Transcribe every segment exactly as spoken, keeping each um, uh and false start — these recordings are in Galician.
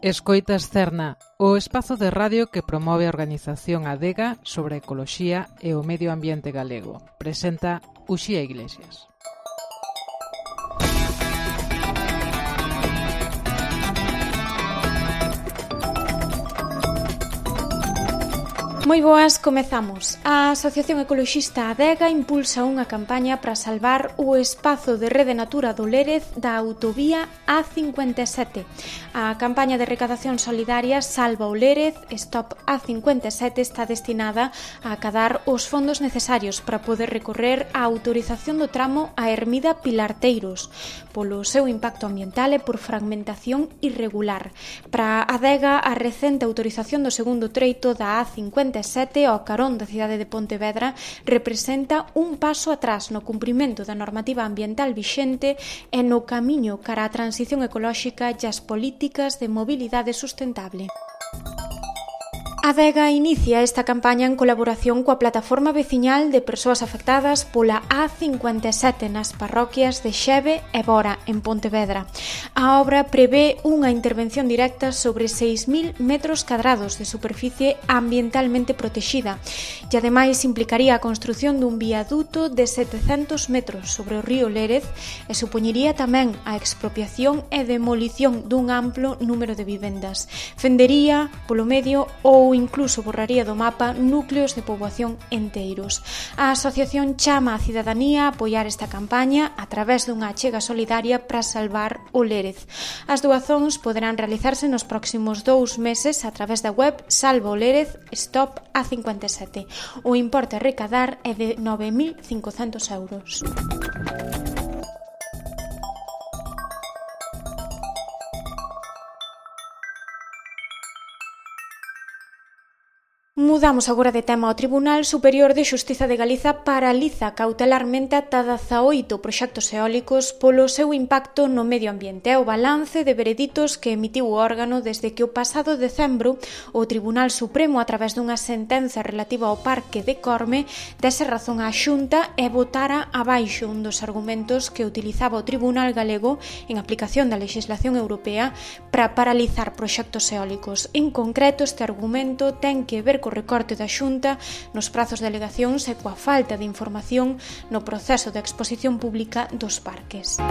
Escoitas Cerna, o espazo de radio que promove a organización Adega sobre ecoloxía e o medio ambiente galego. Presenta Uxía Iglesias. Moi boas, comezamos. A Asociación Ecoloxista Adega impulsa unha campaña para salvar o espazo de Rede Natura do Lérez da autovía A cincuenta e sete. A campaña de recadación solidaria Salva o Lérez, Stop A cincuenta e sete está destinada a acadar os fondos necesarios para poder recorrer a autorización do tramo a Ermida Pilarteiros polo seu impacto ambiental e por fragmentación irregular. Para a Adega, a recente autorización do segundo treito da A cincuenta e sete ao carón da cidade de Pontevedra representa un paso atrás no cumprimento da normativa ambiental vixente e no camiño cara á transición ecolóxica e as políticas de mobilidade sustentable. Adega inicia esta campaña en colaboración coa plataforma veciñal de persoas afectadas pola A cincuenta e sete nas parroquias de Xeve e Bora, en Pontevedra. A obra prevé unha intervención directa sobre seis mil metros cadrados de superficie ambientalmente protexida e ademais implicaría a construción dun viaduto de setecentos metros sobre o río Lérez e supoñería tamén a expropiación e demolición dun amplo número de vivendas. Fendería, polo medio, ou incluso borraría do mapa núcleos de poboación enteiros. A asociación chama a cidadanía a apoiar esta campaña a través dunha achega solidaria para salvar o Lérez. As doazóns poderán realizarse nos próximos dous meses a través da web Salva o Lérez Stop A cincuenta e sete. O importe a recadar é de nove mil cincocentos euros. Mudamos agora de tema. O Tribunal Superior de Xustiza de Galiza paraliza cautelarmente ata dezaoito proxectos eólicos polo seu impacto no medio ambiente. É o balance de vereditos que emitiu o órgano desde que o pasado decembro o Tribunal Supremo, a través dunha sentenza relativa ao Parque de Corme, dese razón á Xunta e votara abaixo un dos argumentos que utilizaba o Tribunal Galego en aplicación da legislación europea para paralizar proxectos eólicos. En concreto, este argumento ten que ver co recorte da Xunta nos prazos de alegacións e coa falta de información no proceso de exposición pública dos parques.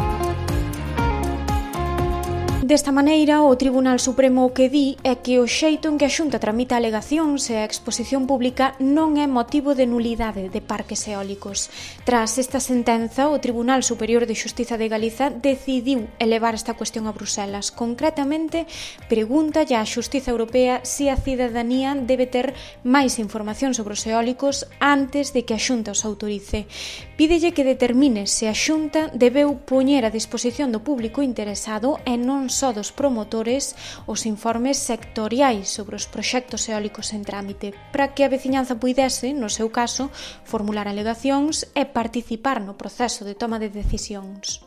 Desta maneira, o Tribunal Supremo o que di é que o xeito en que a Xunta tramita alegacións e a exposición pública non é motivo de nulidade de parques eólicos. Tras esta sentenza, o Tribunal Superior de Xustiza de Galiza decidiu elevar esta cuestión a Bruselas. Concretamente, pregúntalle á Xustiza Europea se a cidadanía debe ter máis información sobre os eólicos antes de que a Xunta os autorice. Pídelle que determine se a Xunta debeu poñer a disposición do público interesado e non só dos promotores os informes sectoriais sobre os proxectos eólicos en trámite, para que a veciñanza puidese, no seu caso, formular alegacións e participar no proceso de toma de decisións.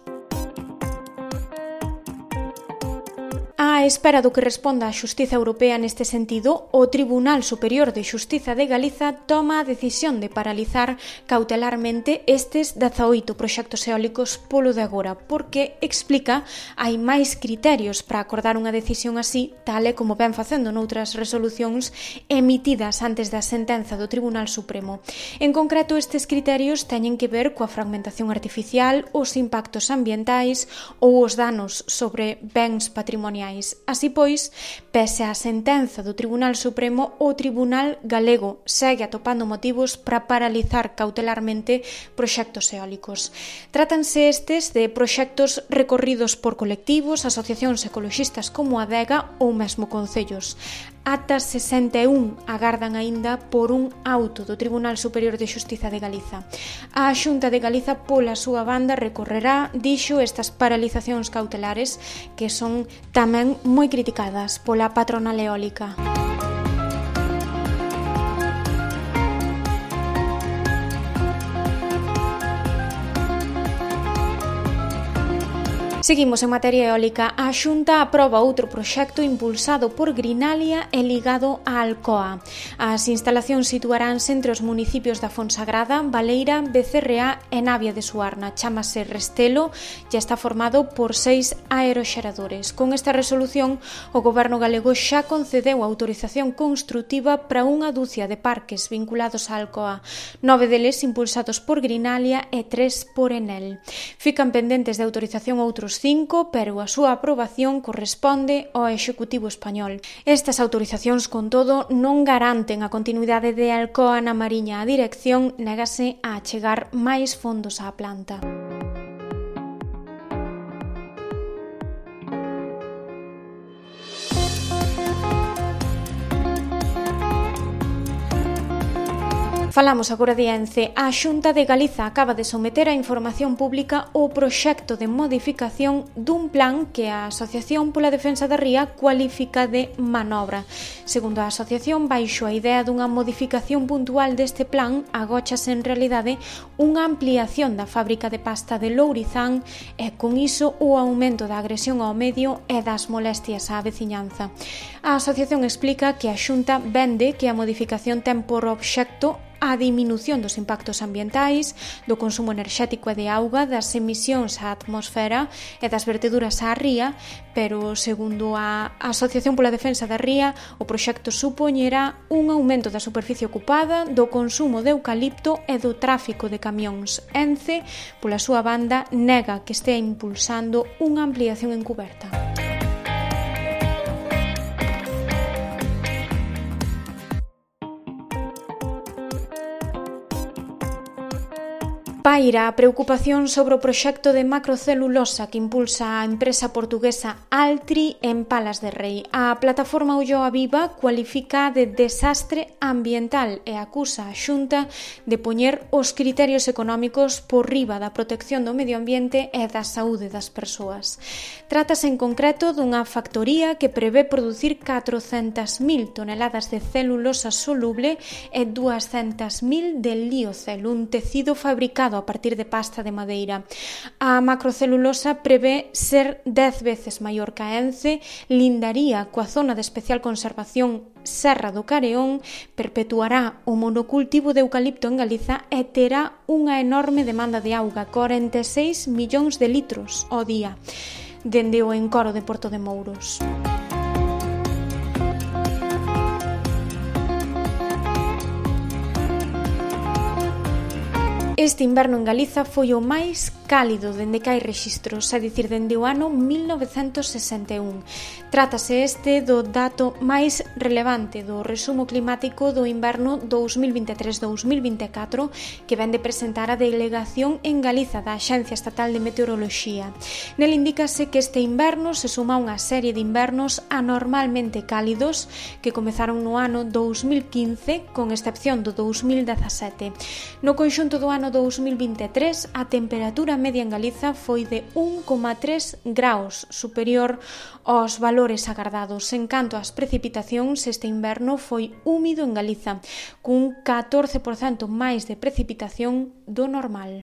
A espera do que responda a Xustiza Europea neste sentido, o Tribunal Superior de Xustiza de Galiza toma a decisión de paralizar cautelarmente estes dezaoito proxectos eólicos polo de agora, porque, explica, hai máis criterios para acordar unha decisión así, tal e como ven facendo noutras resolucións emitidas antes da sentenza do Tribunal Supremo. En concreto, estes criterios teñen que ver coa fragmentación artificial, os impactos ambientais ou os danos sobre bens patrimoniais. Así pois, pese á sentenza do Tribunal Supremo, o Tribunal Galego segue atopando motivos para paralizar cautelarmente proxectos eólicos. Trátanse estes de proxectos recorridos por colectivos, asociacións ecoloxistas como a Adega ou mesmo concellos. Ata sesenta e un agardan aínda por un auto do Tribunal Superior de Xustiza de Galiza. A Xunta de Galiza, pola súa banda, recorrerá, dixo, estas paralizacións cautelares que son tamén moi criticadas pola patronal eólica. Seguimos en materia eólica. A Xunta aproba outro proxecto impulsado por Greenalia e ligado a Alcoa. As instalacións situaránse entre os municipios da Fonsagrada, Baleira, Becerreá e Navia de Suarna. Chámase Restelo e está formado por seis aeroxeradores. Con esta resolución, o Goberno galego xa concedeu a autorización construtiva para unha dúcia de parques vinculados a Alcoa. Nove deles impulsados por Greenalia e tres por Enel. Fican pendentes de autorización outros cinco, pero a súa aprobación corresponde ao Executivo español. Estas autorizacións, con todo, non garanten a continuidade de Alcoa na Mariña. A dirección négase a achegar máis fondos á planta. Falamos agora de Ence. A Xunta de Galiza acaba de someter a información pública o proxecto de modificación dun plan que a Asociación pola Defensa da Ría cualifica de manobra. Segundo a asociación, baixo a idea dunha modificación puntual deste plan, agóchase en realidade unha ampliación da fábrica de pasta de Lourizán e con iso o aumento da agresión ao medio e das molestias á veciñanza. A asociación explica que a Xunta vende que a modificación ten por obxecto a diminución dos impactos ambientais, do consumo enerxético e de auga, das emisións á atmosfera e das verteduras á ría, pero, segundo a Asociación pola Defensa da Ría, o proxecto supoñerá un aumento da superficie ocupada, do consumo de eucalipto e do tráfico de camións. Ence, pola súa banda, nega que estea impulsando unha ampliación encuberta. Paira a preocupación sobre o proxecto de macrocelulosa que impulsa a empresa portuguesa Altri en Palas de Rei. A plataforma Ulloa Viva cualifica de desastre ambiental e acusa a Xunta de poñer os criterios económicos por riba da protección do medio ambiente e da saúde das persoas. Trátase en concreto dunha factoría que prevé producir catrocentas mil toneladas de celulosa soluble e duascentas mil de liocel, un tecido fabricado a partir de pasta de madeira. A macrocelulosa prevé ser dez veces maior que a Ence, lindaría coa zona de especial conservación Serra do Careón, perpetuará o monocultivo de eucalipto en Galiza e terá unha enorme demanda de auga, corenta e seis millóns de litros ao día, dende o encoro de Porto de Mouros. Este inverno en Galiza foi o máis cálido dende que hai rexistros, é dicir, dende o ano mil novecentos sesenta e un. Trátase este do dato máis relevante do resumo climático do inverno dous mil vinte e tres dous mil vinte e catro que vén de presentar a delegación en Galiza da Axencia Estatal de Meteoroloxía. Nel indícase que este inverno se suma unha serie de invernos anormalmente cálidos que comezaron no ano dous mil quince, con excepción do dous mil dezasete. No conxunto do ano dous mil vinte e tres, a temperatura media en Galiza foi de un coma tres graus superior aos valores agardados. En canto ás precipitacións, este inverno foi húmido en Galiza, cun catorce por cento máis de precipitación do normal.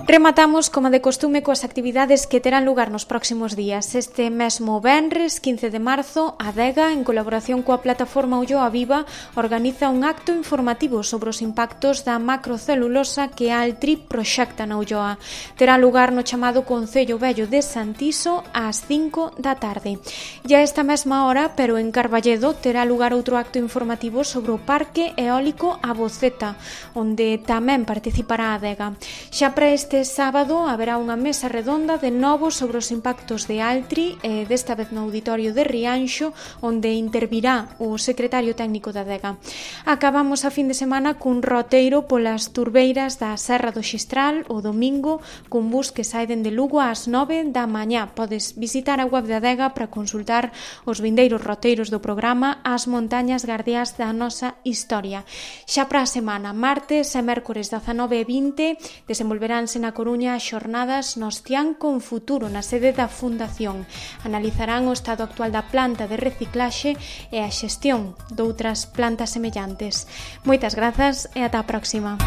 Rematamos, como de costume, coas actividades que terán lugar nos próximos días. Este mesmo venres, quince de marzo, a Adega, en colaboración coa plataforma Ulloa Viva, organiza un acto informativo sobre os impactos da macrocelulosa que a Altri proxecta na Ulloa. Terá lugar no chamado Concello Vello de Santiso ás cinco da tarde. E a esta mesma hora, pero en Carballedo, terá lugar outro acto informativo sobre o Parque Eólico A Boceta, onde tamén participará a Adega. Xa para este sábado haberá unha mesa redonda de novo sobre os impactos de Altri, e desta vez no Auditorio de Rianxo, onde intervirá o secretario técnico da Adega. Acabamos a fin de semana cun roteiro polas turbeiras da Serra do Xistral o domingo, cun bus que sai dende Lugo ás nove da mañá. Podes visitar a web da Adega para consultar os vindeiros roteiros do programa As montañas gardiás da nosa historia. Xa para a semana, martes e mércores dezanove e vinte, desenvolveránse na na Coruña as xornadas Nostián con Futuro na sede da Fundación. Analizarán o estado actual da planta de reciclaxe e a xestión doutras plantas semellantes. Moitas grazas e ata a próxima.